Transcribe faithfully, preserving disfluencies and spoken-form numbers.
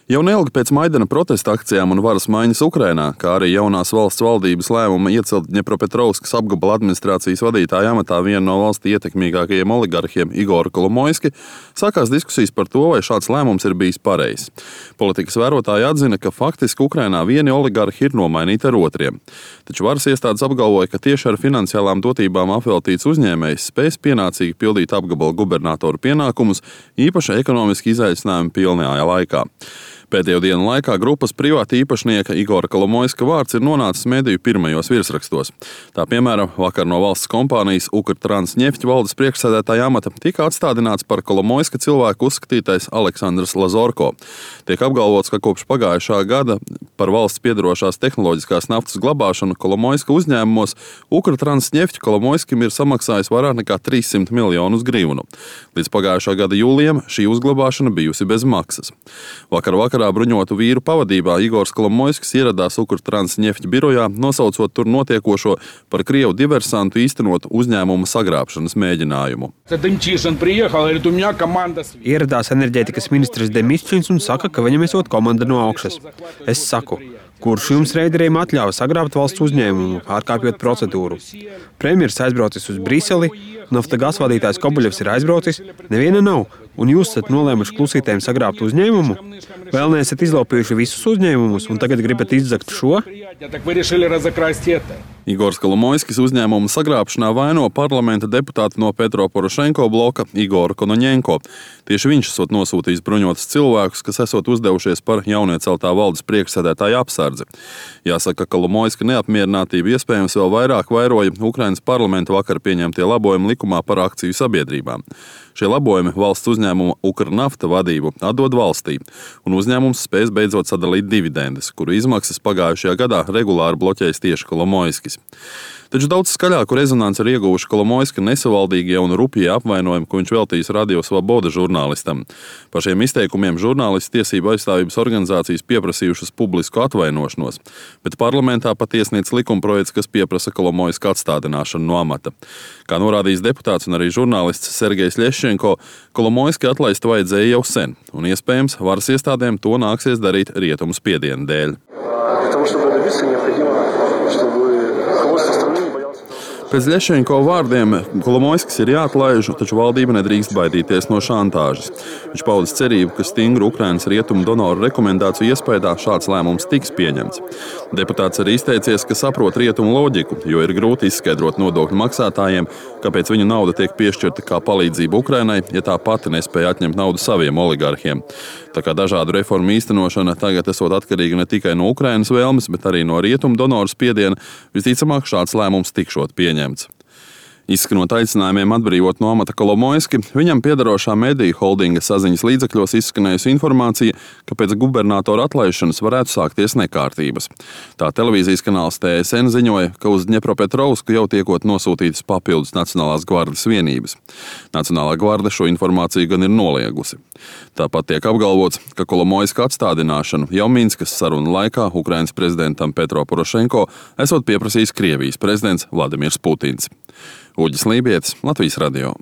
Jau neilgi pēc Maidana protesta akcijām un varas maiņas Ukrainā, kā arī jaunās valsts valdības lēmuma iecelt Dņepropetrovskas apgabala administrācijas vadītāja amatā vienu no valstī ietekmīgākajiem oligarhiem Igoru Kolomoiski, sākās diskusijas par to, vai šāds lēmums ir bijis pareizs. Politikas vērotāji atzina, ka faktiski Ukrainā vieni oligarhi ir nomainīti ar otriem. Taču varas iestādes apgalvoja, ka tieši ar finansiālām dotībām apveltīts uzņēmējs spēs pienācīgi pildīt apgabala gubernatoru pienākumus, īpaši ekonomiski izaicinājumu pilnajā laikā. Pēdējo dienu laikā grupas privāta īpašnieka Igora Kolomoiska vārds ir nonācis mediju pirmajos virsrakstos. Tā piemēram, vakar no valsts kompānijas Ukrtransneft valdes priekšsēdētāja amata tika atstādināts par Kolomoiska cilvēku uzskatītais Aleksandrs Lazorko. Tiek apgalvots, ka kopš pagājušā gada par valsts piedarošās tehnoloģiskās naftas glabāšanu Kolomoiska uzņēmumos Ukrtransneft Kolomoiskim ir samaksājis vairāk nekā trīssimt miljonus grivnu. Līdz pagājušā gada jūlijam šī uzglabāšana bijusi bez maksas. Vakar vakar bruņotu vīru pavadībā Igors Kolomoiskis ieradās Ukrtransneft birojā, nosaucot tur notiekošo par krievu diversantu īstenotu uzņēmuma sagrābšanas mēģinājumu. Ieradās enerģētikas ministrs Demišķins un saka, ka viņam esot komanda no augšas. Es saku, kurš jums reideriem atļāva sagrābt valsts uzņēmumu, pārkāpjot procedūru? Premjers aizbraucis uz Briseli, Naftagaz vadītājs Kobuļevs ir aizbraucis, neviena nav, un jūs esat nolēmuši klusītēm sagrābt uzņēmumu? Vēl neesat izlaupījuši visus uzņēmumus, un tagad gribat izzakt šo? Igors Kolomoiskis uzņēmuma sagrābšanā vaino parlamenta deputāti no Petro Porošenko bloka Igoru Konoņenko. Tieši viņš esot nosūtījis bruņotus cilvēkus, kas esot uzdevušies par jaunieceltā valdes priekšsēdētāja apsardzi. Jāsaka, ka Kolomoiska neapmierinātība iespējams vēl vairāk vairoja Ukrainas parlamenta vakar pieņemtie labojumi likumā par akciju sabiedrībām. Šie labojumi valsts uzņēmuma Ukrnafta vadību atdod valstī, un uzņēmums spēs beidzot sadalīt dividendes, kuru izmaksas pagājušajā gadā regulāri bloķējis tieši Kolomoiskis. Taču daudz skaļāku rezonanci ir ieguvuši Kolomoiska nesavaldīgie un rupjie apvainojumi, ko viņš veltījis Radio Svoboda žurnālistam. Par šiem izteikumiem žurnālistu tiesību aizstāvības organizācijas pieprasījušas publisku atvainošanos, bet parlamentā pat iesniedz likumprojekts, kas pieprasa Kolomoiska atstādināšanu no amata. Kā norādījis deputāts un arī žurnālists Sergejs Ļeščenko, Kolomoiski atlaist vajadzēja jau sen, un iespējams varas iestādēm to nāksies darīt rietumu spiediena dēļ. Pēc Ļeščenko vārdiem Kolomoiskis ir jāatlaiž, taču valdība nedrīkst baidīties no šantāžas. Viņš paudis cerību, ka stingru Ukrainas rietumu donoru rekomendāciju iespējā šāds lēmums tiks pieņemts. Deputāts arī izteicies, ka saprot rietumu loģiku, jo ir grūti izskaidrot nodokļu maksātājiem, kāpēc viņu nauda tiek piešķirta kā palīdzība Ukrainai, ja tā pati nespēja atņemt naudu saviem oligarhiem. Tā kā dažādu reformu īstenošana tagad esot atkarīga ne tikai no Ukrainas vēlmes, bet arī no rietumu donoru spiediena, visticamāk šāds lēmums tikšot pieņemts. Izskanot aicinājumiem atbrīvot no amata Kolomoiski, viņam piederošā mediju holdinga saziņas līdzekļos izskanējusi informācija, ka pēc gubernatora atlaišanas varētu sākties nekārtības. Tā televīzijas kanāls T S N ziņoja, ka uz Dņepropetrovsku jau tiekot nosūtītas papildus Nacionālās gvardes vienības. Nacionālā gvarde šo informāciju gan ir noliegusi. Tāpat tiek apgalvots, ka Kolomoiska atstādināšanu jau Minskas sarunu laikā Ukrainas prezidentam Petro Porošenko esot pieprasījis Krievijas prezidents Vladimirs Putins. Uģis Lībietis, Latvijas radio.